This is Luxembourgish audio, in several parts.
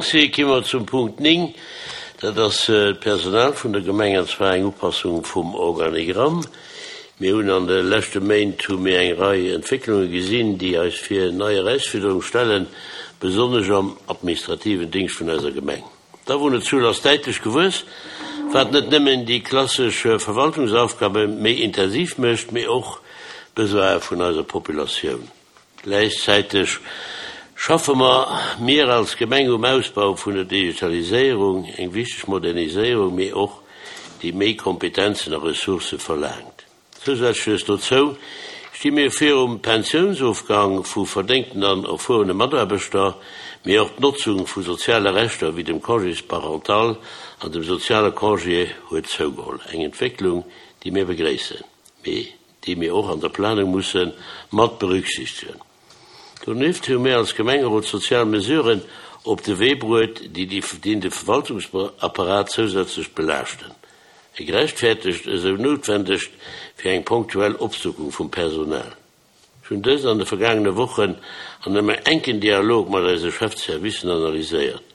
Merci. Gi mer zum Punkt 9, dat ass d'Personal vun der Gemeng, an zwar eng Upassung vum Organigramm. Mir hunn an de leschte Méint hu mir eng Rei Entwécklunge gesinn, déi eis vir nei Erausfuerderung stellen, besonnesch am administrativen Dingscht vun eiser Gemeng. D'Awunnerzuel ass däitlech gewuess, wat net nëmmen déi klassesch Verwaltungsaufgabe méi intensiv mécht, mee och d'Besoine vun eiser Populatioun. Gläichzäiteg schaffe mer mir als Gemeng um Ausbau vun der Digitaliséierung, eng wichteg Moderniséierung, mee och déi méi Kompetenzen a Ressourcë verlaangt. Zousätzlech dozou sti mir virum Pensiounsofgang vu verdéngten an erfuerene Mataarbechter, mee och d'Notzung vu soziale Rechter wéi dem Congés parental an dem soziale Congé huet zougeholl, eng Entwécklung, déi mir begréissen, mee déi mir och an der Planung musse mat berücksichtegen. Donieft hu mir als Gemengerot sozial Mesuren op de Wee bruet, déi de Verwaltungsapparat zousätzlech belaaschten. E gerechtfertegt esou noutwendegt fir eng ponktuell Opstockung vum Personal. Ech hunn dëst an de vergaangene Wochen an engem enken Dialog mat eise Chefservicen analyséiert.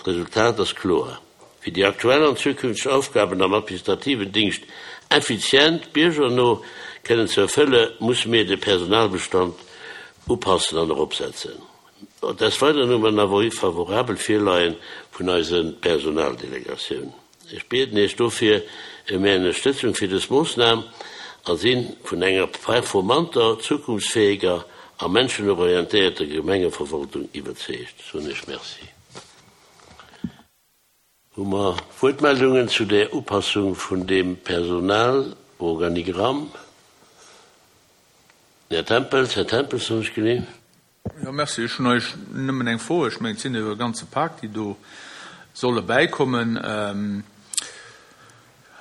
D'Resultat ass kloer, Fir déi aktuell an zukünfteg Aufgaben am administrativen Dingscht effizient, biergerno kënnen ze erfëlle, musse mir de Personalbestand upassen an eropsetzen. Des Weideren hu mer en Avis favorabel virleien vun eise Personaldelegatioun. Ech bieden Iech dofir ëm Är Ënnerstëtzung fir dës Moossnam a si vun enger performanter, zukunftsfäeger a menschenorientéierter Gemengeverwaltung iwwerzeegt. Soen Iech Merci. Hu mer Wuertmeldungen zu där Upassung vun deem Personalorganigramm? Den Här Tempels, Här Tempels, soen ech genee. Jo, merci. Ech hunn eigentlech nëmmen eng Fro. Ech mengen, et sinn jo e ganze Pak, déi do solle bäikommen.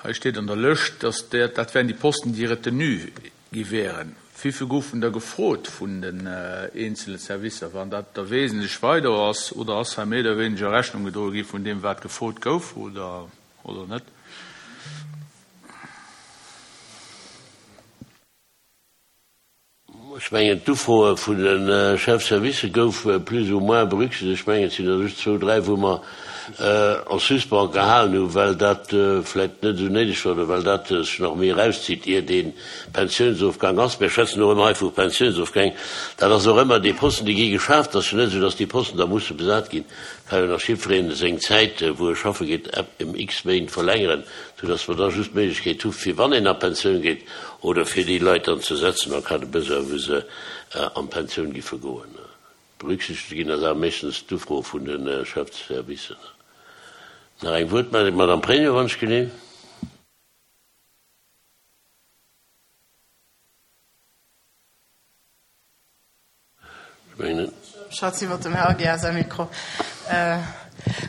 Hei steet an der Lëscht, dass dat wären déi Posten, déi retenu gi wären. Wéivill goufen der gefrot vun den eenzele Servicer, wann dat da wesentlech weider ass? Oder ass hei méi oder wéineger Rechnung gedroe gi vun deem, wat gefrot gouf, oder net? Ech mengen, d'Ufroe vun de Chefservicë goufe plus ou moins berücksichtegt. Ech mengen, et sinn der just zwou, dräi, wou mer en suspens gehalen hunn, well dat vläicht net esou néideg war oder well dat sech nach méi erauszitt, ier dee Pensiounsofgang ass. Mir schwätzen och ëmmer hei vu Pensiounsofgäng. Dat ass och ëmmer déi Posten, déi gi geschaaft. Et ass jo net esou, datt déi Posten da musse besat ginn. Et ka jo nach jiddweree seng Zäit, wou e schaffe geet, ëm x Méint verlängeren, soudatt mer da just d'Méiglechkeet hu fir, wann een a Pensioun geet, oder fir déi Leit dann ze setzen en cas de besoin, wou se an d'Pensioun giffe goen. Berücksichtegt ginn ass awer meeschtens d'Ufro vun de Chefservicen. Nach eng Wuertmeldung, d'Madame Pregno, wann ech genee. Ech mengen. Schatz iwwer dem Här Aguiar säi Mikro.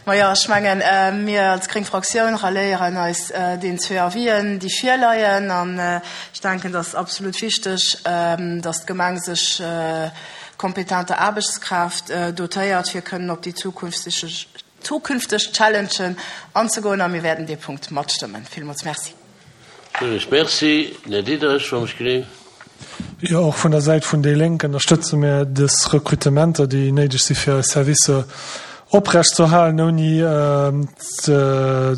Majo, ech mengen, mir als gréng Fraktioun ralléieren eis deenen zwee Avisen, déi virleien. An ech denken, et ass absolut wichteg, datt d'Gemeng sech kompetenter Aarbechtskraaft dotéiert, fir kënnen op déi zukünfteg Challengen anzegoen. A mir wäerten dee Punkt matstëmmen. Villmools Merci. Villmools Merci. Den Här Diderich, wann ech genee. Jo, och vun der Säit vun déi Lénk ënnerstëtze mir dës Rekrutementer, déi néideg si fir eis Servicer oprechtzuerhalen, ouni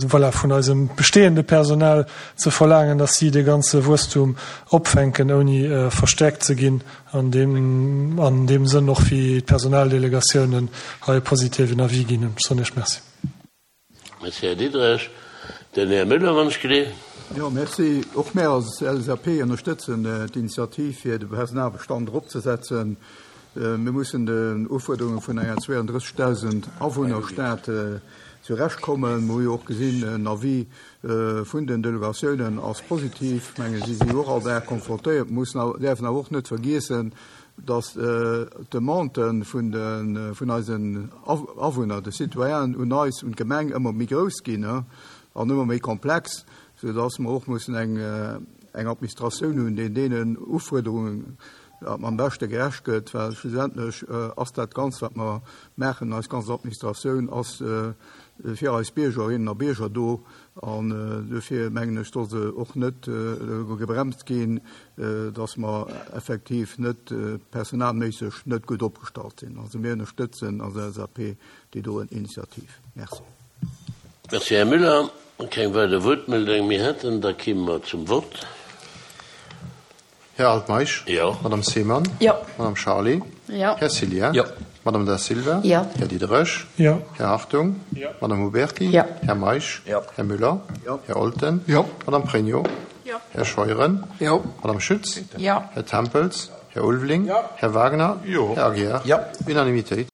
voilà, vun eisem bestehende Personal ze verlaangen, dass si dee ganze Wuesstum opfänken, ouni verstärkt ze ginn. An deem, an deem Sënn och wéi d'Personaldelegatiounen hei e positiven Avis ginn hunn. Ech soen Iech Merci. Merci, Här Diderich. Den Här Müller, wann ech geleeën. Jo, merci. Och mär als LSAP ënnerstëtzen d'Initiativ, fir de Personalbestand eropzesetzen. Mir mussen den Ufuerderunge vun enger 32.000 Awunnerstad zurechtkommen. Mir hu jo och gesinn, en Avis vun den Delegatiounen ass positiv. Ech menge si si jo och all Dag konfrontéiert. Mir mussen awer, däerfen awer och net vergiessen, dass d'Demande vun de, vun eisen Awunner, de Citoyenen un eis, un d'Gemeng ëmmer méi grouss ginn an ëmmer méi komplex, soudass mer och mussen eng, eng Administratioun hunn, déi deenen Ufuerderungen. Am beschte gerecht gëtt, well schlussendlech ass dat Ganzt, wat mer maachen, eis ganz Administratioun ass fir eis Biergerinnen a Bierger do. An dofir mengen ech, soll se och net gebremst ginn, dass mer effektiv net personalméisseg net gutt opgestallt sinn. Also mir ënnerstëtzen als LSAP déi doen Initiativ. Merci. Merci, Här Müller. Keng weider Wuertmeldung méi hätten, da kimme mer zum Vott. Här Altmeisch? Jo. Madame Seemann? Jo. Madame Charlé? Jo. Här Cillien? Jo. Madame Da Silva? Jo. Här Diderich? Jo. Här Hartung? Jo. Madame Huberty? Jo. Här Meisch? Jo. Här Müller? Jo. Här Olten? Jo. Madame Pregno? Jo. Här Scheuren? Jo. Madame Schütz? Jo. Här Tempels? Här Ulveling? Jo. Här Wagner? Jo. Här Aguiar? Jo. Unanimitéit.